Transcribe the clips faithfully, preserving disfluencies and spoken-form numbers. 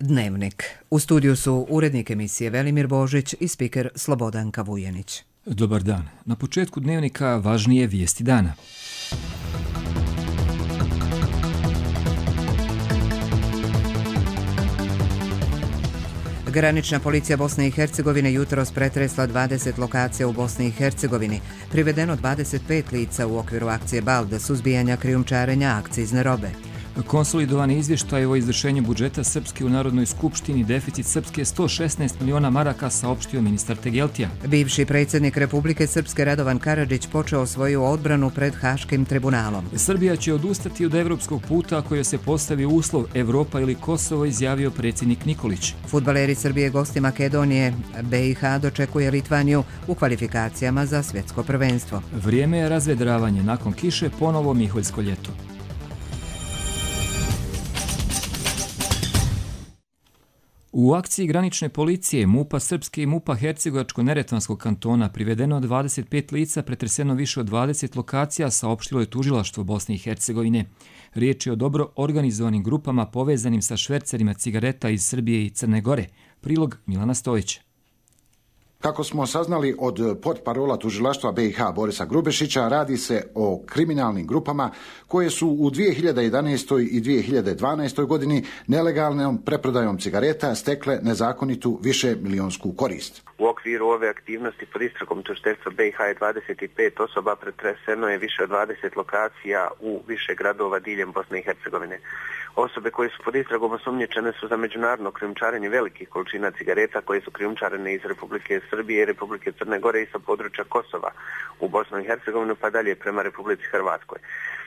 Dnevnik. U studiju su urednik emisije Velimir Božić i spiker Slobodanka Vujenić. Dobar dan. Na početku Dnevnika važnije vijesti dana. Granična policija Bosne i Hercegovine jutros pretresla dvadeset lokacija u Bosni i Hercegovini. Privedeno dvadeset pet lica u okviru akcije Balda, suzbijanja krijumčarenja akcizne robe. Konsolidovani izvještaj o izvršenju budžeta Srpske u Narodnoj skupštini, deficit Srpske sto šesnaest miliona maraka, saopštio ministar Tegeltija. Bivši predsjednik Republike Srpske Radovan Karadžić počeo svoju odbranu pred Haškim tribunalom. Srbija će odustati od evropskog puta ako joj se postavi uslov Evropa ili Kosovo, izjavio predsjednik Nikolić. Fudbaleri Srbije gosti Makedonije, B i H dočekuje Litvaniju u kvalifikacijama za svjetsko prvenstvo. Vrijeme je razvedravanje, nakon kiše ponovo Miholjsko ljeto. U akciji granične policije MUP-a Srpske i MUP-a Hercegovačko-neretvanskog kantona privedeno dvadeset pet lica, pretreseno više od dvadeset lokacija, saopštilo je tužilaštvo Bosne i Hercegovine. Riječ je o dobro organizovanim grupama povezanim sa švercerima cigareta iz Srbije i Crne Gore. Prilog Milana Stojića. Kako smo saznali od portparola tužilaštva B i H Borisa Grubešića, radi se o kriminalnim grupama koje su u dvije hiljade jedanaestoj i dvije hiljade dvanaestoj godini nelegalnom preprodajom cigareta stekle nezakonitu višemilionsku korist. U okviru ove aktivnosti pod istragom tužiteljstva B i H je dvadeset pet osoba, pretreseno je više od dvadeset lokacija u više gradova diljem Bosne i Hercegovine. Osobe koje su pod istragom osumnjičene su za međunarodno krijumčarenje velikih količina cigareta koje su krijumčarene iz Republike Srbije i Republike Crne Gore i sa područja Kosova u Bosnu i Hercegovinu pa dalje prema Republici Hrvatskoj.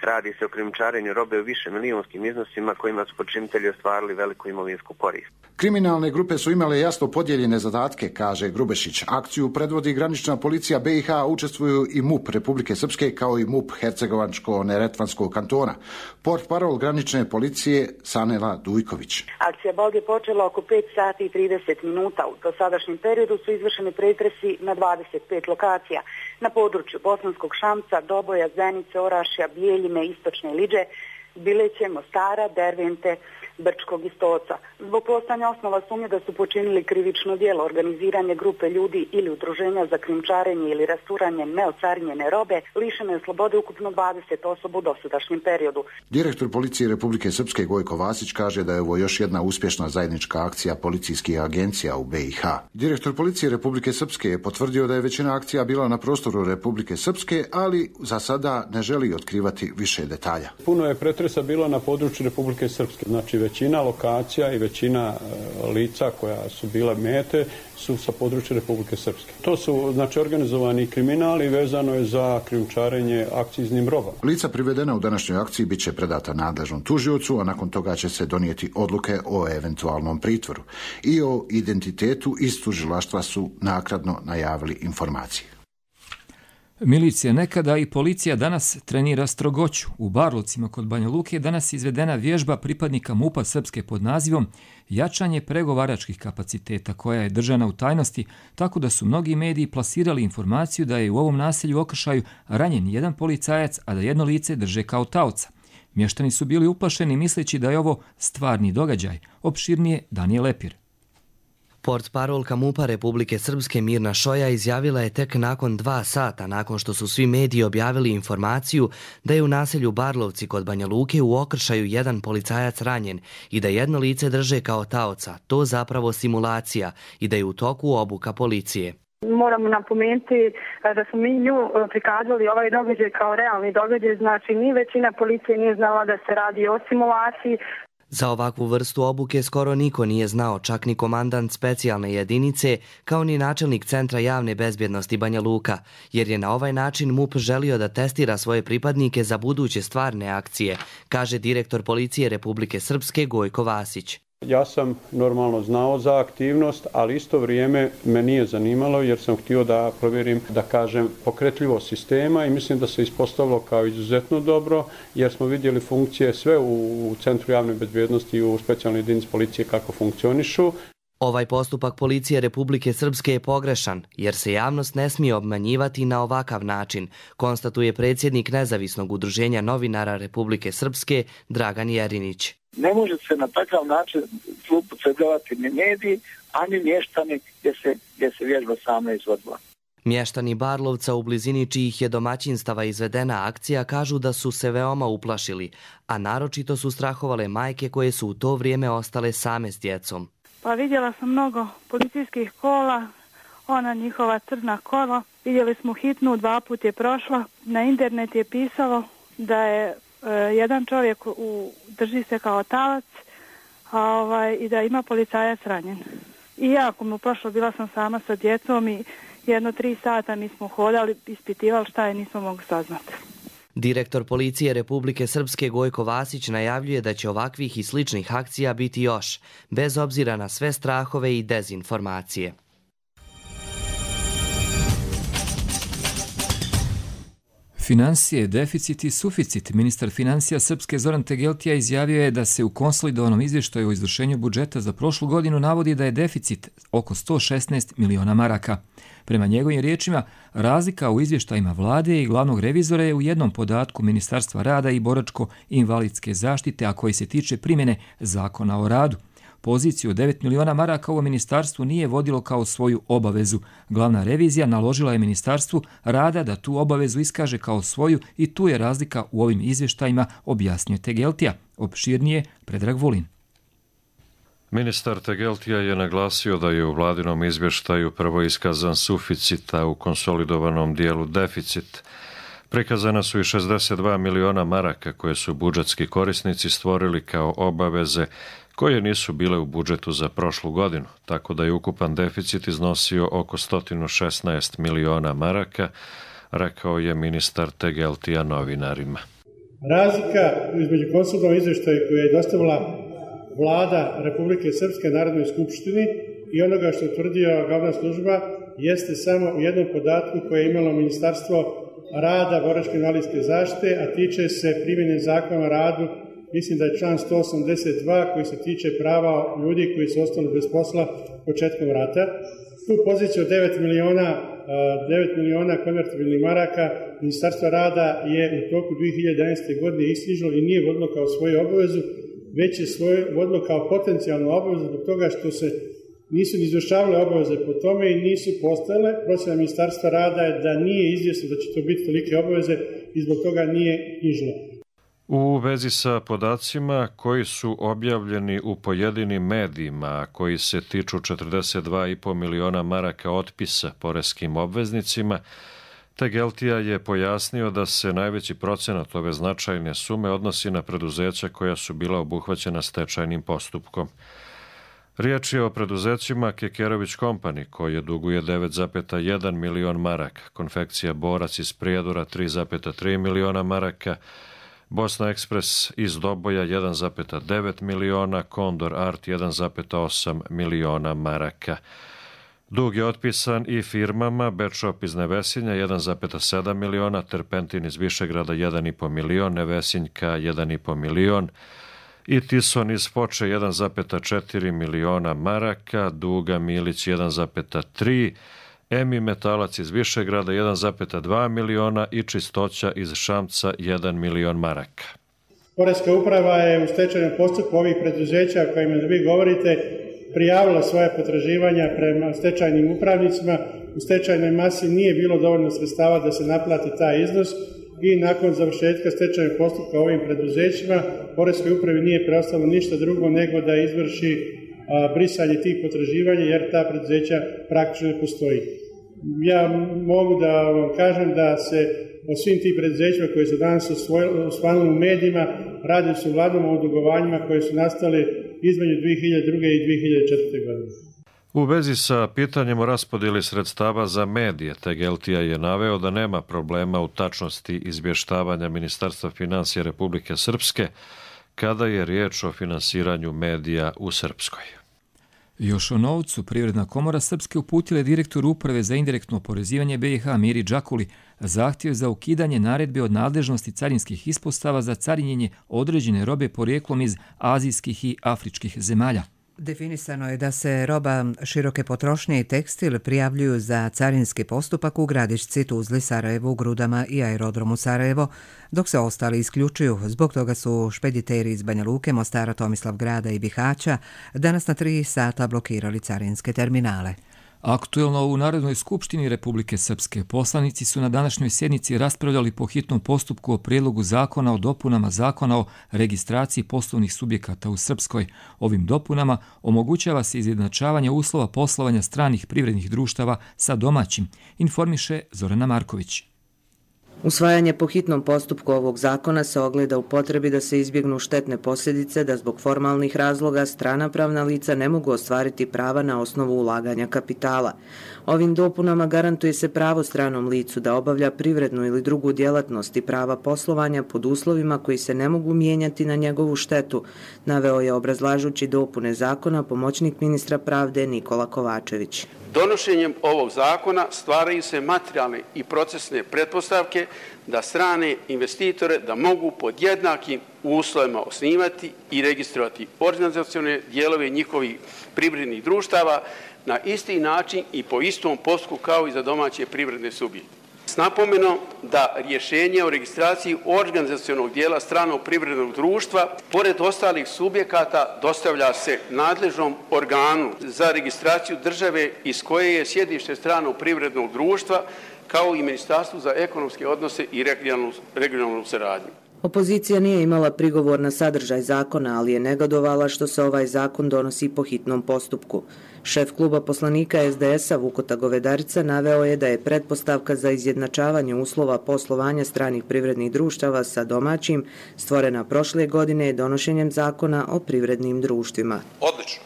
Radi se o krijumčarenju robe u više milijunskim iznosima kojima su počinitelji ostvarili veliku imovinsku korist. Kriminalne grupe su imale jasno podijeljene zadatke, kaže Grubešić. Akciju predvodi granična policija B i H, učestvuju i MUP Republike Srpske kao i MUP Hercegovačko-neretvanskog kantona. Portparol granične policije Sanela Dujković. Akcija Bald je počela oko pet sati i trideset minuta. U dosadašnjem periodu su izvršeni pretresi na dvadeset pet lokacija. Na području Bosanskog Šamca, Doboja, Zenice, Orašja, Bijeljine, Istočne Liđe, Bileće, Mostara, Dervente, Brčkog i Stoca. Zbog postojanja osnova sumnje da su počinili krivično djelo organiziranje grupe ljudi ili udruženja za krijumčarenje ili rasturanje neocarinjene robe, lišeno je slobode ukupno dvadeset osoba u dosadašnjem periodu. Direktor policije Republike Srpske Gojko Vasić kaže da je ovo još jedna uspješna zajednička akcija policijskih agencija u B i H. Direktor policije Republike Srpske je potvrdio da je većina akcija bila na prostoru Republike Srpske, ali za sada ne želi otkrivati više detalja. Puno je pretresa bilo na području Republike Srpske, znači većina lokacija i većina lica koja su bile mete su sa područja Republike Srpske. To su znači organizovani kriminali vezano je za krijumčarenje akciznim robama. Lica privedena u današnjoj akciji bit će predata nadležnom tužiocu, a nakon toga će se donijeti odluke o eventualnom pritvoru. I o identitetu iz tužilaštva su naknadno najavili informacije. Milicija nekada i policija danas trenira strogoću. U Barlovcima kod Banja Luke je danas izvedena vježba pripadnika MUP-a Srpske pod nazivom Jačanje pregovaračkih kapaciteta, koja je držana u tajnosti, tako da su mnogi mediji plasirali informaciju da je u ovom naselju u okršaju ranjen jedan policajac, a da jedno lice drže kao taoca. Mještani su bili uplašeni misleći da je ovo stvarni događaj. Opširnije Danijel Lepir. Portparolka MUP-a Republike Srpske Mirna Šoja izjavila je tek nakon dva sata nakon što su svi mediji objavili informaciju da je u naselju Barlovci kod Banja Luke u okršaju jedan policajac ranjen i da jedno lice drže kao taoca, to zapravo simulacija i da je u toku obuka policije. Moramo napomenuti da smo mi nju prikazali ovaj događaj kao realni događaj, znači ni većina policije nije znala da se radi o simulaciji. Za ovakvu vrstu obuke skoro niko nije znao, čak ni komandant specijalne jedinice, kao ni načelnik Centra javne bezbjednosti Banja Luka, jer je na ovaj način MUP želio da testira svoje pripadnike za buduće stvarne akcije, kaže direktor policije Republike Srpske Gojko Vasić. Ja sam normalno znao za aktivnost, ali isto vrijeme me nije zanimalo jer sam htio da provjerim, da kažem, pokretljivost sistema i mislim da se ispostavilo kao izuzetno dobro jer smo vidjeli funkcije sve u Centru javne bezbjednosti i u specijalnoj jedinici policije kako funkcionišu. Ovaj postupak policije Republike Srpske je pogrešan, jer se javnost ne smije obmanjivati na ovakav način, konstatuje predsjednik Nezavisnog udruženja novinara Republike Srpske Dragan Jerinić. Ne može se na takav način zloupotrebljavati ni mediji, ani mještani gdje se, gdje se vježba sama izvodila. Mještani Barlovca u blizini čijih je domaćinstava izvedena akcija kažu da su se veoma uplašili, a naročito su strahovale majke koje su u to vrijeme ostale same s djecom. Pa vidjela sam mnogo policijskih kola, ona njihova crna kola. Vidjeli smo hitnu, dva put je prošla. Na internet je pisalo da je e, jedan čovjek u, drži se kao talac, a ovaj, i da ima policajac ranjen. I jako mu prošlo, bila sam sama sa djecom i jedno tri sata mi smo hodali, ispitivali šta je, nismo mogli saznati. Direktor policije Republike Srpske Gojko Vasić najavljuje da će ovakvih i sličnih akcija biti još, bez obzira na sve strahove i dezinformacije. Finansije, deficit i suficit. Ministar financija Srpske Zoran Tegeltija izjavio je da se u konsolidovanom izvještaju o izvršenju budžeta za prošlu godinu navodi da je deficit oko sto šesnaest miliona maraka. Prema njegovim riječima, razlika u izvještajima vlade i glavnog revizora je u jednom podatku Ministarstva rada i boračko-invalidske zaštite, a koji se tiče primjene zakona o radu. Poziciju od devet miliona maraka ovo ministarstvo nije vodilo kao svoju obavezu. Glavna revizija naložila je Ministarstvu rada da tu obavezu iskaže kao svoju i tu je razlika u ovim izvještajima, objasnio Tegeltija. Opširnije Predrag Vulin. Ministar Tegeltija je naglasio da je u vladinom izvještaju prvo iskazan suficit, a u konsolidovanom dijelu deficit. Prikazana su i šezdeset dva miliona maraka koje su budžetski korisnici stvorili kao obaveze koje nisu bile u budžetu za prošlu godinu, tako da je ukupan deficit iznosio oko sto šesnaest miliona maraka, rekao je ministar Tegeltija novinarima. Razlika između konsolidovanog izvještaja koje je dostavila Vlada Republike Srpske Narodnoj skupštini i onoga što je utvrdio glavna služba jeste samo u jednom podatku koje je imalo Ministarstvo rada, boračko-invalidske zaštite, a tiče se primjene zakona o radu. Mislim da je član sto osamdeset dva koji se tiče prava ljudi koji su ostali bez posla početkom rata. Tu poziciju od devet miliona konvertibilnih maraka Ministarstvo rada je u toku dvije hiljade jedanaeste. godine isknjižilo i nije vodilo kao svoju obavezu, već je svoje vodilo kao potencijalnu obavezu zbog toga što se nisu izvršavale obaveze po tome i nisu postojale. Procjena Ministarstva rada je da nije izvjesno da će to biti tolike obaveze i zbog toga nije knjižilo. U vezi sa podacima koji su objavljeni u pojedinim medijima, koji se tiču četrdeset dva i po miliona maraka otpisa poreskim obveznicima, Tegeltija je pojasnio da se najveći procenat ove značajne sume odnosi na preduzeća koja su bila obuhvaćena stečajnim postupkom. Riječ je o preduzećima Kekerović Company, koje duguje devet zarez jedan milion maraka, Konfekcija Borac iz Prijedora tri zarez tri miliona maraka, Bosna Ekspres iz Doboja jedan zarez devet miliona, Kondor Art jedan zarez osam miliona maraka. Dug je otpisan i firmama Bečop iz Nevesinja jedan zarez sedam miliona, Terpentin iz Višegrada jedan zarez pet milion, Nevesinjka jedan zarez pet milion i Tison iz Foče jedan zarez četiri miliona maraka, Duga Milić jedan zarez tri, Emi Metalac iz Višegrada jedan zarez dva miliona i Čistoća iz Šamca jedan milion maraka. Poreska uprava je u stečajnom postupku ovih preduzeća o kojima vi govorite prijavila svoje potraživanja prema stečajnim upravnicima. U stečajnoj masi nije bilo dovoljno sredstava da se naplati taj iznos i nakon završetka stečajnog postupka ovim preduzećima Poreskoj upravi nije preostalo ništa drugo nego da izvrši a, brisanje tih potraživanja jer ta preduzeća praktično ne postoji. Ja mogu da vam kažem da se o svim tih preduzećima koje su danas osvanuli u medijima radi se uglavnom o dugovanjima koje su nastale između dvije hiljade druge. i dvije hiljade četvrte. godine. U vezi sa pitanjem o raspodjeli sredstava za medije, Tegeltija je naveo da nema problema u tačnosti izvještavanja Ministarstva financija Republike Srpske kada je riječ o finansiranju medija u Srpskoj. Još o novcu, Privredna komora Srpske uputila je direktoru Uprave za indirektno oporezivanje B i H Miri Đakuli zahtjev za ukidanje naredbe od nadležnosti carinskih ispostava za carinjenje određene robe porijeklom iz azijskih i afričkih zemalja. Definisano je da se roba široke potrošnje i tekstil prijavljuju za carinski postupak u Gradišci, Tuzli, Sarajevu, Grudama i aerodromu Sarajevo, dok se ostali isključuju. Zbog toga su špediteri iz Banja Luke, Mostara, Tomislavgrada i Bihaća danas na tri sata blokirali carinske terminale. Aktuelno u Narodnoj skupštini Republike Srpske poslanici su na današnjoj sjednici raspravljali po hitnom postupku o prijedlogu zakona o dopunama zakona o registraciji poslovnih subjekata u Srpskoj. Ovim dopunama omogućava se izjednačavanje uslova poslovanja stranih privrednih društava sa domaćim, informiše Zorana Marković. Usvajanje po hitnom postupku ovog zakona se ogleda u potrebi da se izbjegnu štetne posljedice da zbog formalnih razloga strana pravna lica ne mogu ostvariti prava na osnovu ulaganja kapitala. Ovim dopunama garantuje se pravo stranom licu da obavlja privrednu ili drugu djelatnost i prava poslovanja pod uslovima koji se ne mogu mijenjati na njegovu štetu, naveo je obrazlažući dopune zakona pomoćnik ministra pravde Nikola Kovačević. Donošenjem ovog zakona stvaraju se materijalne i procesne pretpostavke da strane investitore da mogu pod jednakim uslovima osnivati i registrovati organizacione dijelove njihovih privrednih društava na isti način i po istom postupku kao i za domaće privredne subjekte. S napomenom da rješenje o registraciji organizacionog dijela stranog privrednog društva, pored ostalih subjekata, dostavlja se nadležnom organu za registraciju države iz koje je sjedište stranog privrednog društva, kao i Ministarstvu za ekonomske odnose i regionalnu, regionalnu saradnju. Opozicija nije imala prigovor na sadržaj zakona, ali je negadovala što se ovaj zakon donosi po hitnom postupku. Šef kluba poslanika es de es a Vukota Govedarica naveo je da je pretpostavka za izjednačavanje uslova poslovanja stranih privrednih društava sa domaćim stvorena prošle godine donošenjem zakona o privrednim društvima. Odlično.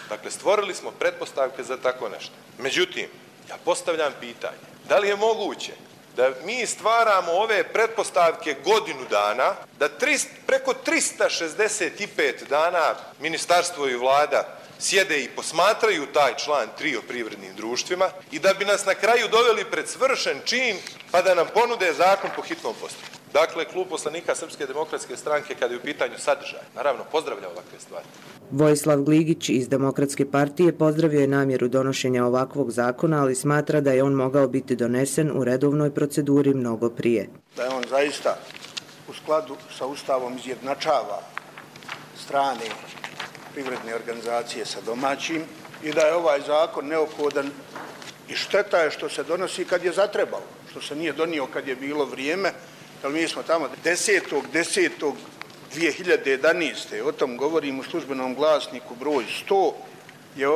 Dakle, stvorili smo pretpostavke za tako nešto. Međutim, ja postavljam pitanje, da li je moguće da mi stvaramo ove pretpostavke godinu dana, da trist, preko trista šezdeset pet dana ministarstvo i vlada sjede i posmatraju taj član tri o privrednim društvima i da bi nas na kraju doveli pred svršen čin pa da nam ponude zakon po hitnom postupku. Dakle, klub poslanika Srpske demokratske stranke, kada je u pitanju sadržaj, naravno pozdravlja ovakve stvari. Vojislav Gligić iz Demokratske partije pozdravio je namjeru donošenja ovakvog zakona, ali smatra da je on mogao biti donesen u redovnoj proceduri mnogo prije. Da je on zaista u skladu sa Ustavom izjednačava strane privredne organizacije sa domaćim i da je ovaj zakon neophodan i šteta je što se donosi kad je zatrebalo, što se nije donio kad je bilo vrijeme, jer mi smo tamo desetog desetog dvije hiljade jedanaeste. o tom govorim u službenom glasniku broj sto, je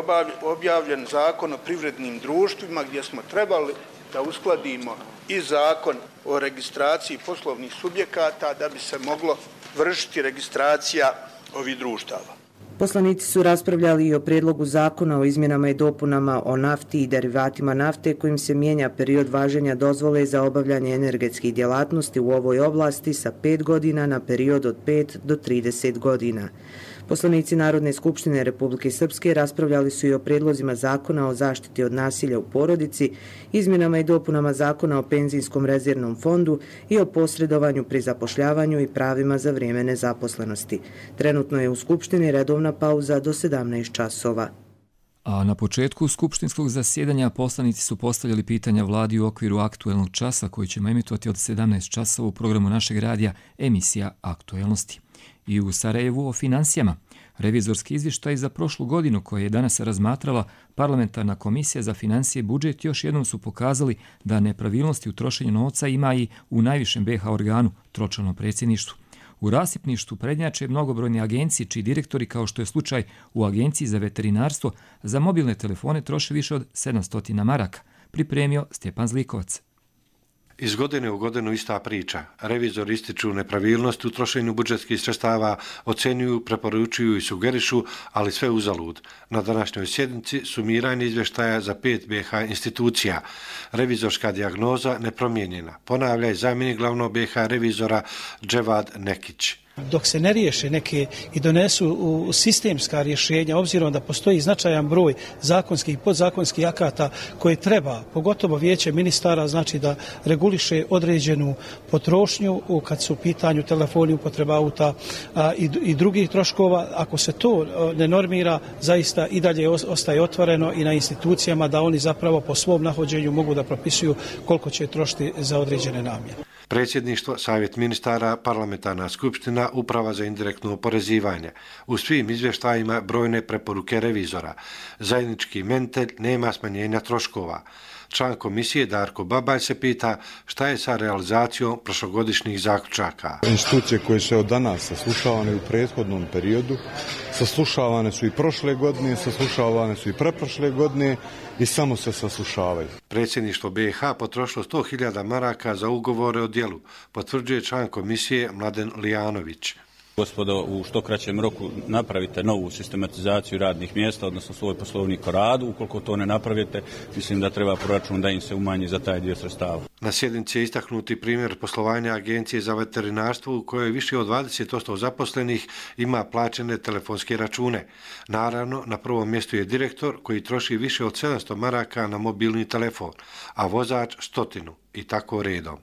objavljen zakon o privrednim društvima gdje smo trebali da uskladimo i zakon o registraciji poslovnih subjekata da bi se moglo vršiti registracija ovih društava. Poslanici su raspravljali i o prijedlogu zakona o izmjenama i dopunama o nafti i derivatima nafte kojim se mijenja period važenja dozvole za obavljanje energetskih djelatnosti u ovoj oblasti sa pet godina na period od pet do trideset godina. Poslanici Narodne skupštine Republike Srpske raspravljali su i o prijedlozima zakona o zaštiti od nasilja u porodici, izmjenama i dopunama zakona o penzijskom rezervnom fondu i o posredovanju pri zapošljavanju i pravima za vrijeme nezaposlenosti. Trenutno je u Skupštini redovna pauza do sedamnaest časova. A na početku skupštinskog zasjedanja poslanici su postavljali pitanja vladi u okviru aktuelnog časa koji ćemo emitovati od sedamnaest časova u programu našeg radija emisija Aktuelnosti. I u Sarajevu o financijama. Revizorski izvještaj za prošlu godinu koje je danas razmatrala Parlamentarna komisija za financije i budžet još jednom su pokazali da nepravilnosti u trošenju novca ima i u najvišem be ha organu, tročlanom predsjedništvu. U rasipništvu prednjače mnogobrojne agencije čiji direktori, kao što je slučaj u Agenciji za veterinarstvo, za mobilne telefone troše više od sedamsto maraka, pripremio Stjepan Zlikovac. Iz godine u godinu ista priča. Revizori ističu nepravilnost u trošenju budžetskih sredstava, ocenjuju, preporučuju i sugerišu, ali sve uzalud. Na današnjoj sjednici sumiranje izvještaja za pet be ha institucija. Revizorska dijagnoza nepromijenjena. Ponavlja i zamjenik glavnog be ha revizora Dževad Nekić. Dok se ne riješe neke i donesu u sistemska rješenja, obzirom da postoji značajan broj zakonskih i podzakonskih akata koje treba, pogotovo vijeće ministara, znači da reguliše određenu potrošnju kad su u pitanju telefoni, upotreba auta a, i, i drugih troškova. Ako se to ne normira, zaista i dalje ostaje otvoreno i na institucijama da oni zapravo po svom nahođenju mogu da propisuju koliko će trošiti za određene namjene. Predsjedništvo, Savjet ministara, Parlamentarna skupština, Uprava za indirektno oporezivanje. U svim izvještajima brojne preporuke revizora. Zajednički imenitelj, nema smanjenja troškova. Član komisije Darko Babalj se pita šta je sa realizacijom prošlogodišnjih zaključaka. Institucije koje su od danas saslušavane u prethodnom periodu, saslušavane su i prošle godine, saslušavane su i preprošle godine i samo se saslušavaju. Predsjedništvo B i H potrošilo sto hiljada maraka za ugovore o djelu, potvrđuje član komisije Mladen Lijanović. Gospodo, u što kraćem roku napravite novu sistematizaciju radnih mjesta, odnosno svoj poslovnik o radu. Ukoliko to ne napravite, mislim da treba proračun da im se umanji za taj dio sredstava. Na sjednici je istaknuti primjer poslovanja Agencije za veterinarstvo u kojoj više od dvadeset posto zaposlenih ima plaćene telefonske račune. Naravno, na prvom mjestu je direktor koji troši više od sedamsto maraka na mobilni telefon, a vozač stotinu i tako redom.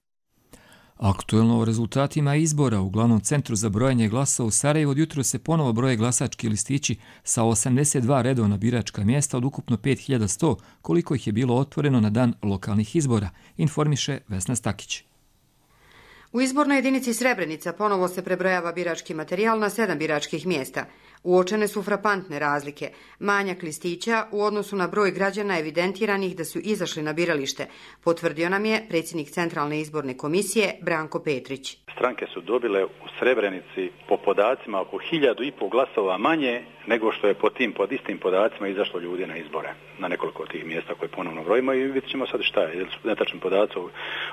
Aktuelno o rezultatima izbora u glavnom centru za brojanje glasova u Sarajevu od jutro se ponovo broje glasački listići sa osamdeset dva redovna biračka mjesta od ukupno pet hiljada sto, koliko ih je bilo otvoreno na dan lokalnih izbora, informiše Vesna Stakić. U izbornoj jedinici Srebrenica ponovo se prebrojava birački materijal na sedam biračkih mjesta. Uočene su frapantne razlike. Manjak listića u odnosu na broj građana evidentiranih da su izašli na biralište, potvrdio nam je predsjednik Centralne izborne komisije Branko Petrić. Stranke su dobile u Srebrenici po podacima oko hiljadu i pol glasova manje nego što je po tim, pod istim podacima izašlo ljudi na izbore na nekoliko tih mjesta koje ponovno brojimo i vidjet ćemo sad šta je. Ili su netačni podaci o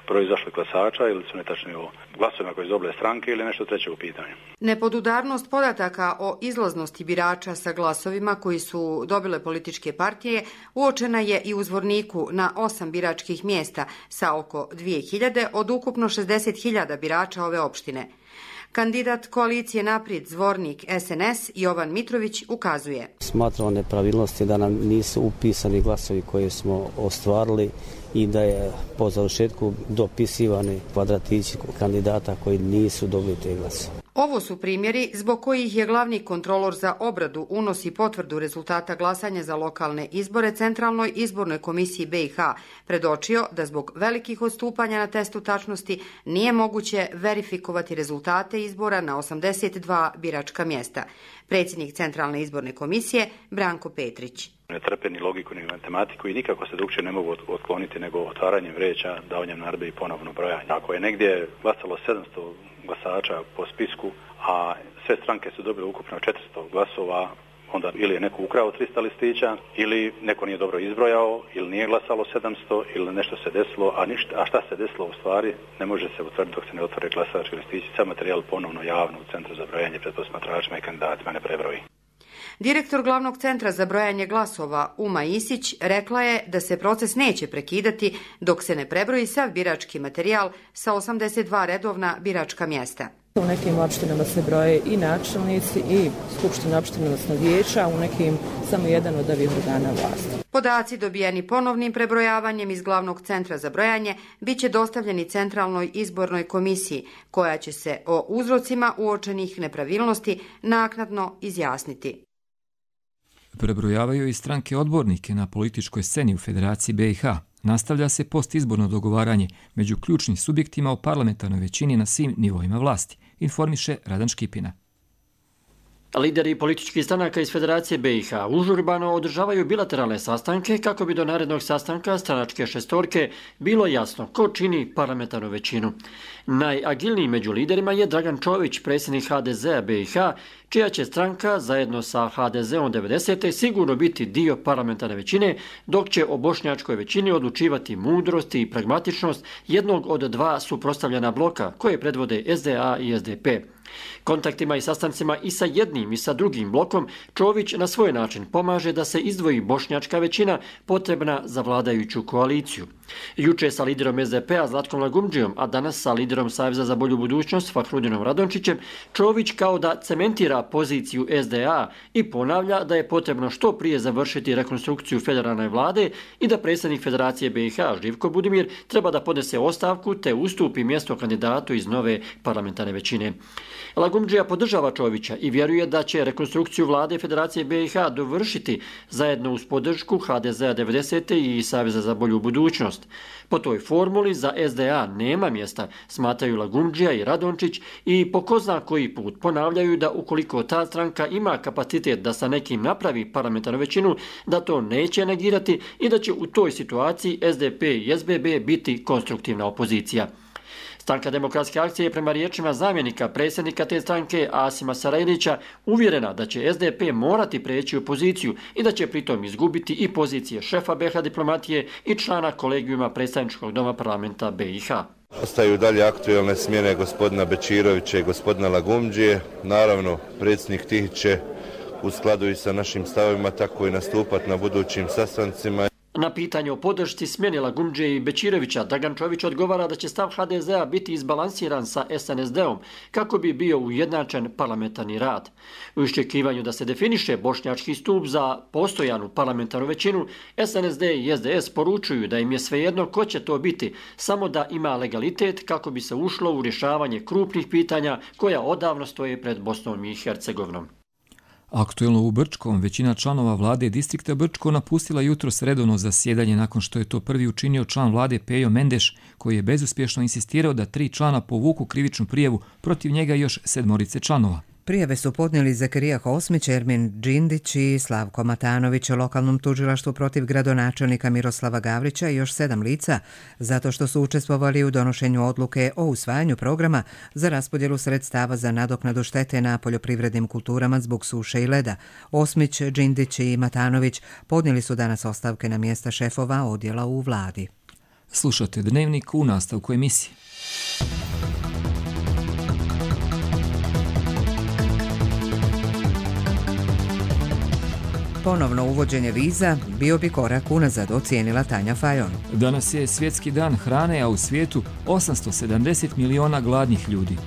broju izašlih glasača ili su netačni o glasovima koje su dobile stranke ili nešto treće u pitanju. Nepodudarnost podataka o izlaznosti birača sa glasovima koji su dobile političke partije uočena je i u Zvorniku na osam biračkih mjesta sa oko dvije hiljade od ukupno šezdeset hiljada birača ove opštine. Kandidat koalicije Naprijed Zvornik S N S Jovan Mitrović ukazuje. Smatramo nepravilnosti da nam nisu upisani glasovi koje smo ostvarili i da je po završetku dopisivani kvadratići kandidata koji nisu dobili te glasove. Ovo su primjeri zbog kojih je glavni kontrolor za obradu unosi potvrdu rezultata glasanja za lokalne izbore Centralnoj izbornoj komisiji B i H predočio da zbog velikih odstupanja na testu tačnosti nije moguće verifikovati rezultate izbora na osamdeset dva biračka mjesta. Predsjednik Centralne izborne komisije Branko Petrić. Ne trpe ni logiku ni matematiku i nikako se drugčije ne mogu otkloniti nego otvaranjem vreća, davanjem narudžbe i ponovno brojanje. Ako je negdje glasalo sedamsto glasača po spisku, a sve stranke su dobile ukupno četiristo glasova, onda ili je neko ukrao trista listića, ili neko nije dobro izbrojao, ili nije glasalo sedamsto, ili nešto se desilo, a, ništa, a šta se desilo u stvari ne može se utvrditi dok se ne otvore glasački listići. Sam materijal ponovno javno u Centru za brojanje pred posmatračima i kandidatima ne prebroji. Direktor glavnog centra za brojanje glasova Uma Isić rekla je da se proces neće prekidati dok se ne prebroji sav birački materijal sa osamdeset dva redovna biračka mjesta. U nekim opštinama se broje i načelnici i skupština opština, odnosno vijeća, u nekim samo jedan od ovih organa vlasti. Podaci dobijeni ponovnim prebrojavanjem iz glavnog centra za brojanje bit će dostavljeni Centralnoj izbornoj komisiji, koja će se o uzrocima uočenih nepravilnosti naknadno izjasniti. Prebrojavaju i stranke odbornike na političkoj sceni u Federaciji B i H. Nastavlja se postizborno dogovaranje među ključnim subjektima o parlamentarnoj većini na svim nivoima vlasti, informiše Radan Škipina. Lideri političkih stranaka iz Federacije B i H užurbano održavaju bilateralne sastanke kako bi do narednog sastanka stranačke šestorke bilo jasno ko čini parlamentarnu većinu. Najagilniji među liderima je Dragan Čović, predsjednik H D Z-a B i H, čija će stranka zajedno sa H D Z-om devedesete sigurno biti dio parlamentarne većine, dok će o bošnjačkoj većini odlučivati mudrost i pragmatičnost jednog od dva suprotstavljena bloka koje predvode S D A i S D P. Kontaktima i sastancima i sa jednim i sa drugim blokom Čović na svoj način pomaže da se izdvoji bošnjačka većina potrebna za vladajuću koaliciju. Juče sa liderom S D P-a Zlatkom Lagumdžijom, a danas sa liderom Saveza za bolju budućnost Fahrudinom Radončićem, Čović kao da cementira poziciju S D A i ponavlja da je potrebno što prije završiti rekonstrukciju federalne vlade i da predsjednik Federacije B i H Živko Budimir treba da podnese ostavku te ustupi mjesto kandidatu iz nove parlamentarne većine. Lagumdžija podržava Čovića i vjeruje da će rekonstrukciju vlade Federacije B i H dovršiti zajedno uz podršku H D Z-a devedesete i Saveza za bolju budućnost. Po toj formuli za S D A nema mjesta, smatraju Lagumdžija i Radončić i po ko zna koji put ponavljaju da ukoliko ta stranka ima kapacitet da sa nekim napravi parlamentarnu većinu, da to neće negirati i da će u toj situaciji S D P i S B B biti konstruktivna opozicija. Stranka demokratske akcije je prema riječima zamjenika predsjednika te stranke Asima Sarajlića uvjerena da će S D P morati preći u poziciju i da će pritom izgubiti i pozicije šefa B i H diplomatije i člana kolegijuma predstavničkog doma parlamenta B i H. Ostaju dalje aktuelne smjene gospodina Bečirovića i gospodina Lagumdžije. Naravno, predsjednik Tihić će u skladu i sa našim stavovima tako i nastupati na budućim sastancima. Na pitanje o podršci smjeni Lagumdžije i Bečirovića, Dragan Čović odgovara da će stav H D Z-a biti izbalansiran sa S N S D-om kako bi bio ujednačen parlamentarni rad. U iščekivanju da se definiše bošnjački stup za postojanu parlamentarnu većinu, S N S D i S D S poručuju da im je svejedno ko će to biti, samo da ima legalitet kako bi se ušlo u rješavanje krupnih pitanja koja odavno stoje pred Bosnom i Hercegovinom. Aktuelno u Brčkom, većina članova vlade distrikta Brčko napustila jutros redovno zasjedanje nakon što je to prvi učinio član vlade Pejo Mendeš, koji je bezuspješno insistirao da tri člana povuku krivičnu prijavu protiv njega i još sedmorice članova. Prijave su podnijeli Zakarija Hosmić, Ermin Džindić i Slavko Matanović o lokalnom tužilaštvu protiv gradonačelnika Miroslava Gavrića i još sedam lica, zato što su učestvovali u donošenju odluke o usvajanju programa za raspodjelu sredstava za nadoknadu štete na poljoprivrednim kulturama zbog suše i leda. Hosmić, Džindić i Matanović podnijeli su danas ostavke na mjesta šefova odjela u vladi. Slušate Dnevnik u nastavku emisije. Ponovno uvođenje viza bio bi korak unazad, ocijenila Tanja Fajon. Danas je svjetski dan hrane, a u svijetu osamsto sedamdeset miliona gladnih ljudi.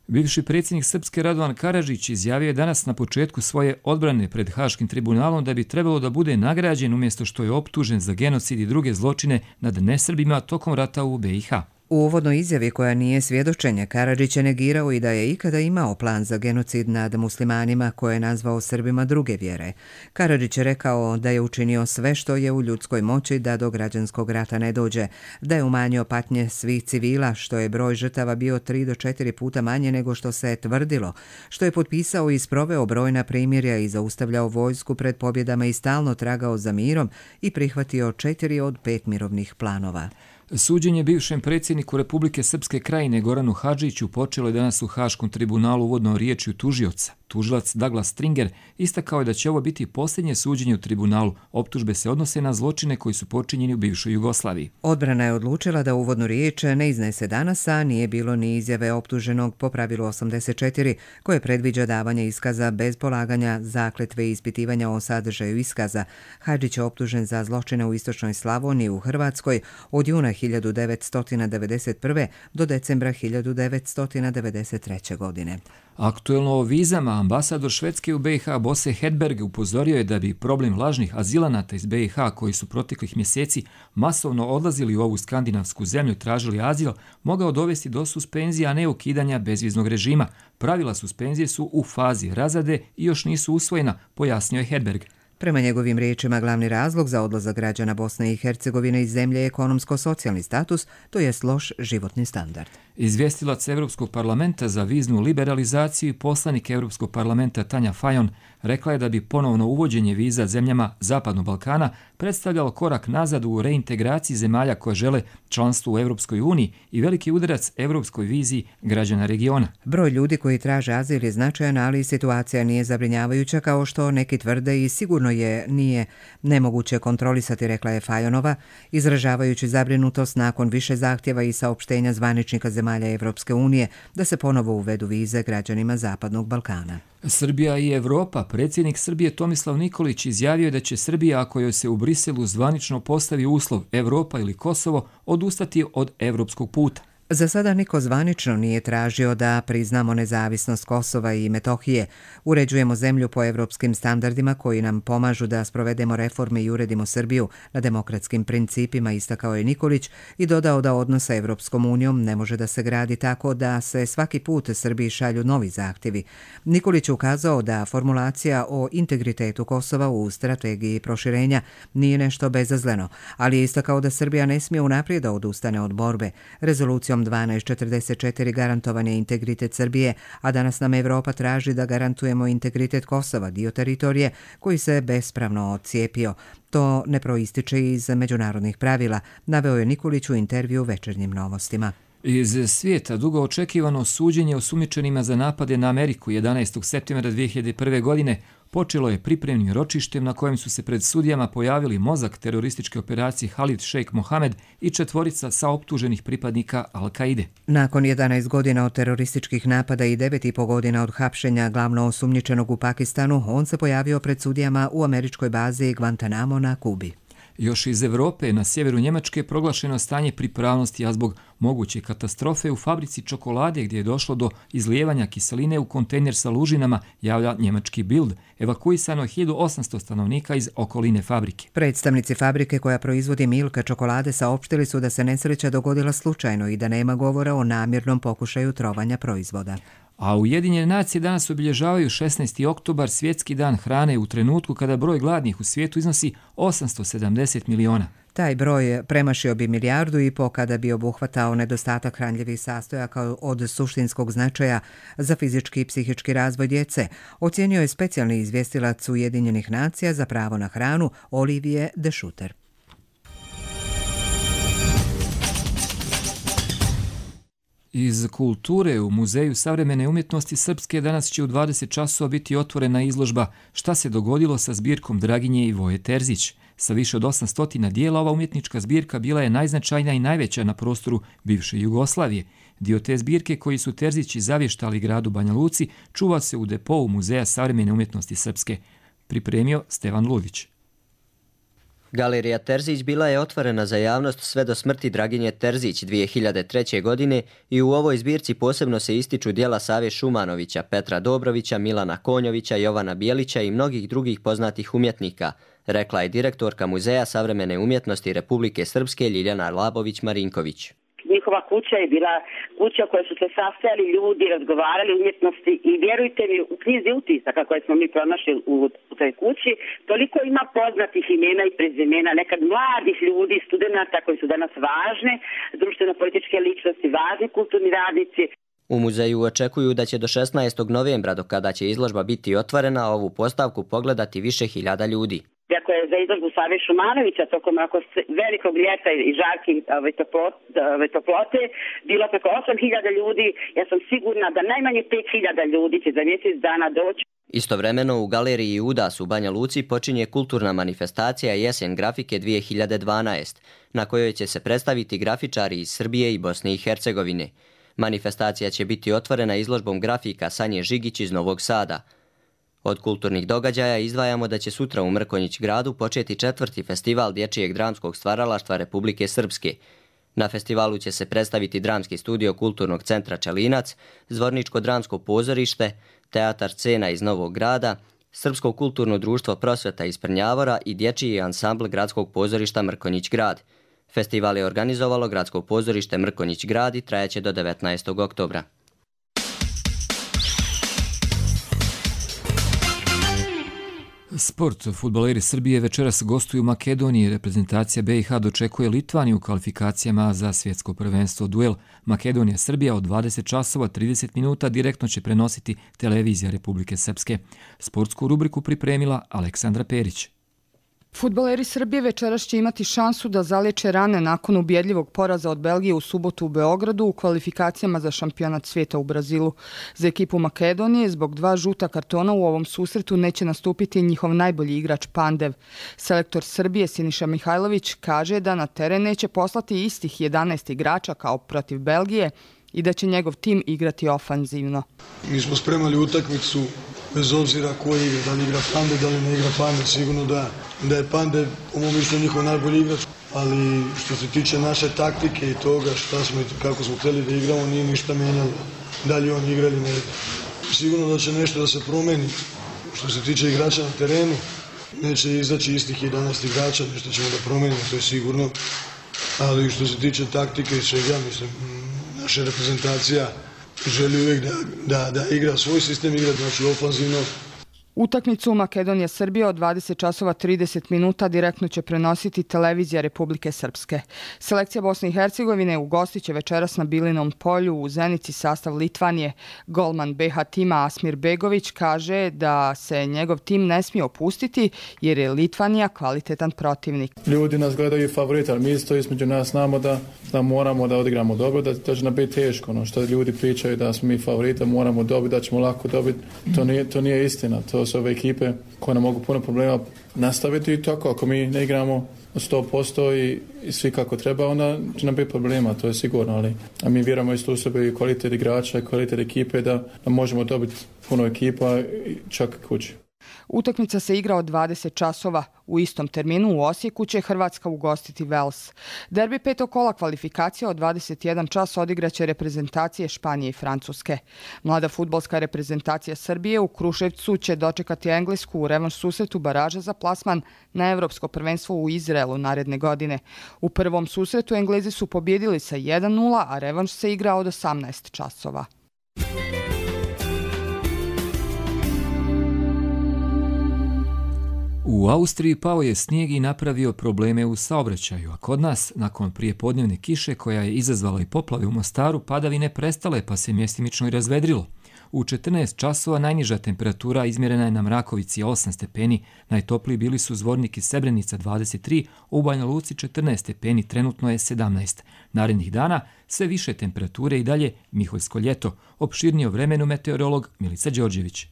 Bivši predsjednik Srpske Radovan Karadžić izjavio je danas na početku svoje odbrane pred Haškim tribunalom da bi trebalo da bude nagrađen umjesto što je optužen za genocid i druge zločine nad nesrbima tokom rata u B i H. U uvodnoj izjavi koja nije svjedočenje, Karadžić je negirao i da je ikada imao plan za genocid nad muslimanima koje je nazvao Srbima druge vjere. Karadžić je rekao da je učinio sve što je u ljudskoj moći da do građanskog rata ne dođe, da je umanjio patnje svih civila, što je broj žrtava bio tri do četiri puta manje nego što se je tvrdilo, što je potpisao i sproveo brojna primirja i zaustavljao vojsku pred pobjedama i stalno tragao za mirom i prihvatio četiri od pet mirovnih planova. Suđenje bivšem predsjedniku Republike Srpske Krajine Goranu Hadžiću počelo je danas u Haškom tribunalu uvodnom riječju tužioca. Tužilac Douglas Stringer istakao je da će ovo biti posljednje suđenje u tribunalu. Optužbe se odnose na zločine koji su počinjeni u bivšoj Jugoslaviji. Odbrana je odlučila da uvodnu riječ ne iznese danas, a nije bilo ni izjave optuženog po pravilu osamdeset četiri, koje predviđa davanje iskaza bez polaganja zakletve i ispitivanja o sadržaju iskaza. Hadžić je optužen za zločine u istočnoj Slavoniji u Hrvatskoj od juna hiljadu devetsto devedeset prve do decembra hiljadu devetsto devedeset treće. godine. Aktuelno o vizama, ambasador Švedske u B i H Bosse Hedberg upozorio je da bi problem lažnih azilanata iz B i H koji su proteklih mjeseci masovno odlazili u ovu skandinavsku zemlju i tražili azil mogao dovesti do suspenzija, a ne ukidanja bezviznog režima. Pravila suspenzije su u fazi razrade i još nisu usvojena, pojasnio je Hedberg. Prema njegovim riječima, glavni razlog za odlazak građana Bosne i Hercegovine iz zemlje je ekonomsko-socijalni status, to jest loš životni standard. Izvjestilac Europskog parlamenta za viznu liberalizaciju i poslanik Europskog parlamenta Tanja Fajon rekla je da bi ponovno uvođenje viza zemljama Zapadnog Balkana predstavljalo korak nazad u reintegraciji zemalja koje žele članstvo u Europskoj uniji i veliki udarac europskoj viziji građana regiona. Broj ljudi koji traže azil je značajan, ali situacija nije zabrinjavajuća kao što neki tvrde i sigurno je nije nemoguće kontrolisati, rekla je Fajonova, izražavajući zabrinutost nakon više zahtjeva i saopštenja zvaničnika zemalja zemalja Evropske unije da se ponovo uvedu vize građanima Zapadnog Balkana. Srbija i Evropa. Predsjednik Srbije Tomislav Nikolić izjavio je da će Srbija, ako joj se u Briselu zvanično postavi uslov Evropa ili Kosovo, odustati od evropskog puta. Za sada niko zvanično nije tražio da priznamo nezavisnost Kosova i Metohije. Uređujemo zemlju po evropskim standardima koji nam pomažu da sprovedemo reforme i uredimo Srbiju na demokratskim principima, istakao je Nikolić i dodao da odnos sa Evropskom unijom ne može da se gradi tako da se svaki put Srbiji šalju novi zahtjevi. Nikolić ukazao da formulacija o integritetu Kosova u strategiji proširenja nije nešto bezazleno, ali je istakao da Srbija ne smije unaprijed da odustane od borbe. Rezolucijom dvanaest četrdeset četiri garantovan je integritet Srbije, a danas nam Evropa traži da garantujemo integritet Kosova, dio teritorije koji se bespravno odcijepio. To ne proističe iz međunarodnih pravila, naveo je Nikolić u intervju Večernjim novostima. Iz svijeta dugo očekivano suđenje osumnjičenima za napade na Ameriku jedanaestog septembra dvije hiljade prve. godine počelo je pripremnim ročištem na kojem su se pred sudijama pojavili mozak terorističke operacije Halid Šejk Mohamed i četvorica saoptuženih pripadnika Al-Kaide. Nakon jedanaest godina od terorističkih napada i devet i po godina od hapšenja glavno osumnjičenog u Pakistanu, on se pojavio pred sudijama u američkoj bazi Guantanamo na Kubi. Još iz Evrope, na sjeveru Njemačke, proglašeno stanje pripravnosti, a zbog moguće katastrofe u fabrici čokolade gdje je došlo do izlijevanja kiseline u kontejner sa lužinama, javlja njemački Bild. Evakuisano je hiljadu osamsto stanovnika iz okoline fabrike. Predstavnici fabrike koja proizvodi Milka čokolade saopštili su da se nesreća dogodila slučajno i da nema govora o namjernom pokušaju trovanja proizvoda. A Ujedinjene nacije danas obilježavaju šesnaesti oktobar, svjetski dan hrane, u trenutku kada broj gladnih u svijetu iznosi osamsto sedamdeset miliona. Taj broj premašio bi milijardu i po kada bi obuhvatao nedostatak hranljivih sastojaka od suštinskog značaja za fizički i psihički razvoj djece, ocijenio je specijalni izvjestilac Ujedinjenih nacija za pravo na hranu Olivier de Schutter. Iz kulture u Muzeju savremene umjetnosti Srpske danas će u dvadeset časova biti otvorena izložba Šta se dogodilo sa zbirkom Draginje i Voje Terzić. Sa više od osamsto dijela ova umjetnička zbirka bila je najznačajnija i najveća na prostoru bivše Jugoslavije. Dio te zbirke koji su Terzići zavještali gradu Banja Luci čuva se u depou Muzeja savremene umjetnosti Srpske. Pripremio Stevan Ludić. Galerija Terzić bila je otvorena za javnost sve do smrti Draginje Terzić dvije hiljade treće. godine i u ovoj zbirci posebno se ističu djela Save Šumanovića, Petra Dobrovića, Milana Konjovića, Jovana Bijelića i mnogih drugih poznatih umjetnika, rekla je direktorka Muzeja savremene umjetnosti Republike Srpske Ljiljana Labović-Marinković. Njihova kuća je bila kuća u kojoj su se sastajali ljudi, razgovarali o umjetnosti i vjerujte mi, u knjizi utisaka koje smo mi pronašli u, u toj kući, toliko ima poznatih imena i prezimena, nekad mladih ljudi, studenata koji su danas važne, društveno-političke ličnosti, važni kulturni radnici. U muzeju očekuju da će do šesnaestog novembra, do kada će izložba biti otvorena, ovu postavku pogledati više hiljada ljudi. Iako je za izložbu Save Šumanovića tokom velikog ljeta i žarke ove toplote bilo preko osam hiljada ljudi, ja sam sigurna da najmanje pet hiljada ljudi će za mjesec dana doći. Istovremeno u galeriji Udas u Banja Luci počinje kulturna manifestacija Jesen grafike dvije hiljade dvanaest, na kojoj će se predstaviti grafičari iz Srbije i Bosne i Hercegovine. Manifestacija će biti otvorena izložbom grafika Sanje Žigić iz Novog Sada. Od kulturnih događaja izdvajamo da će sutra u Mrkonjić gradu početi četvrti festival dječjeg dramskog stvaralaštva Republike Srpske. Na festivalu će se predstaviti dramski studio Kulturnog centra Čelinac, Zvorničko dramsko pozorište, Teatar Scena iz Novog grada, Srpsko kulturno društvo Prosveta iz Prnjavora i dječji ansambl Gradskog pozorišta Mrkonjić grad. Festival je organizovalo Gradsko pozorište Mrkonjić grad i trajaće do devetnaestog oktobra. Sport. Fudbaleri Srbije večeras gostuju u Makedoniji. Reprezentacija B i H dočekuje Litvaniju u kvalifikacijama za svjetsko prvenstvo. Duel Makedonija-Srbija od dvadeset časova trideset minuta direktno će prenositi televizija Republike Srpske. Sportsku rubriku pripremila Aleksandra Perić. Fudbaleri Srbije večeras će imati šansu da zaliječe rane nakon ubjedljivog poraza od Belgije u subotu u Beogradu u kvalifikacijama za šampionat svijeta u Brazilu. Za ekipu Makedonije zbog dva žuta kartona u ovom susretu neće nastupiti njihov najbolji igrač Pandev. Selektor Srbije Siniša Mihajlović kaže da na teren neće poslati istih jedanaest igrača kao protiv Belgije, i da će njegov tim igrati ofanzivno. Mi smo spremali utakmicu bez obzira ko igra, da li igra Pande, da li ne igra Pande. Sigurno da, da je Pande, po mom mišljenju, njihov najbolji igrač. Ali što se tiče naše taktike i toga šta smo, kako smo htjeli da igramo, nije ništa menjalo. Da li on igra ili ne igra. Sigurno da će nešto da se promeni. Što se tiče igrača na terenu, neće izaći istih jedanaest igrača, nešto ćemo da promenimo, to je sigurno. Ali što se tiče taktike i svega, mislim, naša reprezentacija želi uvijek da, da, da igra svoj sistem, igra znači ofanzivno. Utakmicu Makedonija-Srbija od dvadeset časova trideset minuta direktno će prenositi televizija Republike Srpske. Selekcija Bosne i Hercegovine ugostit će večeras na Bilinom polju u Zenici sastav Litvanije. Golman be ha tima Asmir Begović kaže da se njegov tim ne smije opustiti jer je Litvanija kvalitetan protivnik. Ljudi nas gledaju favorita, ali mi isto između nas znamo da, da moramo da odigramo dobro, da, da će nam biti teško. Ono što ljudi pričaju da smo mi favorita, moramo dobiti, da ćemo lako dobiti. To nije, to nije istina. To su ove ekipe koje nam mogu puno problema nastaviti i tako. Ako mi ne igramo sto posto i, i svi kako treba, onda će nam biti problema, to je sigurno. Ali a mi vjerujemo isto u sebe i kvalitet igrača i kvalitet ekipe da, da možemo dobiti puno ekipa čak kući. Utakmica se igra od dvadeset časova. U istom terminu u Osijeku će Hrvatska ugostiti Vels. Derbi petog kola kvalifikacija od dvadeset jedan čas odigraće reprezentacije Španije i Francuske. Mlada fudbalska reprezentacija Srbije u Kruševcu će dočekati Englesku u revanš susretu baraža za plasman na Evropsko prvenstvo u Izraelu naredne godine. U prvom susretu Englezi su pobjedili sa jedan nula, a revanš se igra od osamnaest časova. U Austriji pao je snijeg i napravio probleme u saobraćaju, a kod nas, nakon prijepodnevne kiše koja je izazvala i poplave u Mostaru, padavine prestale pa se mjestimično i razvedrilo. U četrnaest časova najniža temperatura izmjerena je na Mrakovici osam stepeni, najtopliji bili su Zvornik i Srebrenica dvadeset tri, u Banja Luci četrnaest stepeni, trenutno je sedamnaest. Narednih dana sve više temperature i dalje Miholjsko ljeto, opširnije o vremenu meteorolog Milica Đorđević.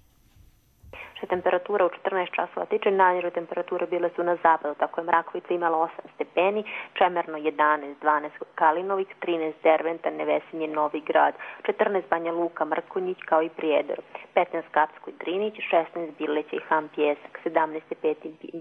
Temperatura u četrnaest časova tiče, najniže temperature bile su na zapadu, tako je Mrakovica imala osam stepeni, Čemerno jedanaest, dvanaest Kalinovik, trinaest Derventa, Nevesinje, Novi Grad, četrnaest Banja Luka, Mrkonjić kao i Prijedor, petnaest Kapsko i Drinić, šesnaest Bileća i Ham Pjesak, sedamnaest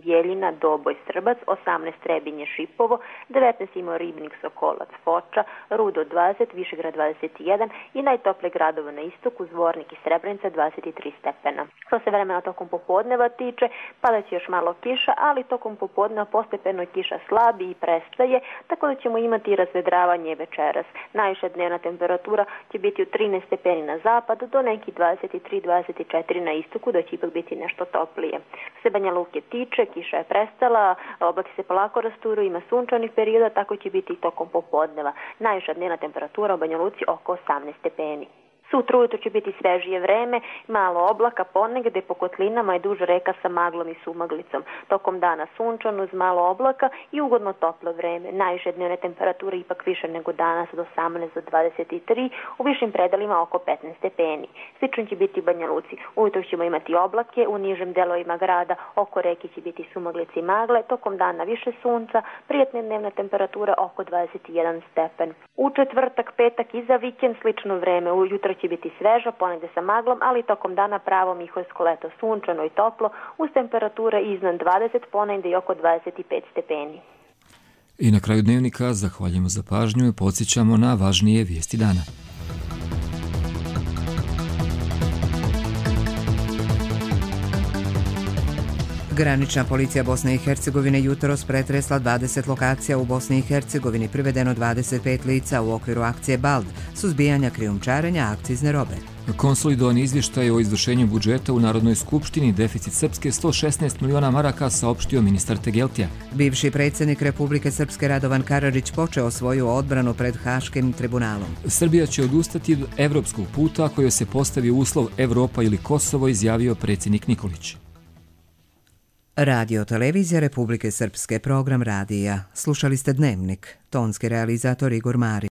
Bjeljina, Doboj, Srbac, osamnaest Trebinje, Šipovo, devetnaest imao Ribnik, Sokolac, Foča, Rudo dvadeset, Višegrad dvadeset jedan i najtoplije gradova na istoku, Zvornik i Srebrenica dvadeset tri stepena. Što se vremena tokom popodneva tiče, padaće još malo kiša, ali tokom popodneva postepeno kiša slabi i prestaje, tako da ćemo imati razvedravanje večeras. Najviša dnevna temperatura će biti u trinaest stepeni na zapadu do nekih dvadeset tri do dvadeset četiri na istoku, da će ipak biti nešto toplije. Što se Banja Luke tiče, kiša je prestala, oblaci se polako rasturu, ima sunčanih perioda, tako će biti i tokom popodneva. Najviša dnevna temperatura u Banja Luci oko osamnaest stepeni. Sutra ujutro će biti svežije vreme, malo oblaka ponegde po kotlinama i duž reka sa maglom i sumaglicom. Tokom dana sunčano uz malo oblaka i ugodno toplo vreme. Najviše dnevne temperature ipak više nego danas od osamnaest do dvadeset tri, u višim predelima oko petnaest stepeni. Slično će biti u Banja Luci. Ujutro ćemo imati oblake, u nižim delovima grada oko reke će biti sumaglice i magle, tokom dana više sunca, prijatna dnevna temperatura oko dvadeset jedan stepen. U četvrtak, petak i za vikend slično vreme, ujutro će biti sveža, ponegde sa maglom, ali tokom dana pravo miholjsko leto, sunčano i toplo, uz temperature iznad dvadeset, ponegde i oko dvadeset pet stepeni. I na kraju dnevnika zahvaljujemo za pažnju i podsjećamo na važnije vijesti dana. Granična policija Bosne i Hercegovine jutros pretresla dvadeset lokacija u Bosni i Hercegovini, privedeno dvadeset pet lica u okviru akcije BALD, suzbijanja krijumčarenja akcizne robe. Konsolidovani izvještaj o izvršenju budžeta u Narodnoj skupštini, deficit Srpske sto šesnaest miliona maraka, saopštio ministar Tegeltija. Bivši predsjednik Republike Srpske Radovan Karadžić počeo svoju odbranu pred Haškim tribunalom. Srbija će odustati od evropskog puta ako joj se postavi uslov Evropa ili Kosovo, izjavio predsjednik Nikolić. Radio televizija Republike Srpske, program radija. Slušali ste Dnevnik, tonski realizator Igor Marić.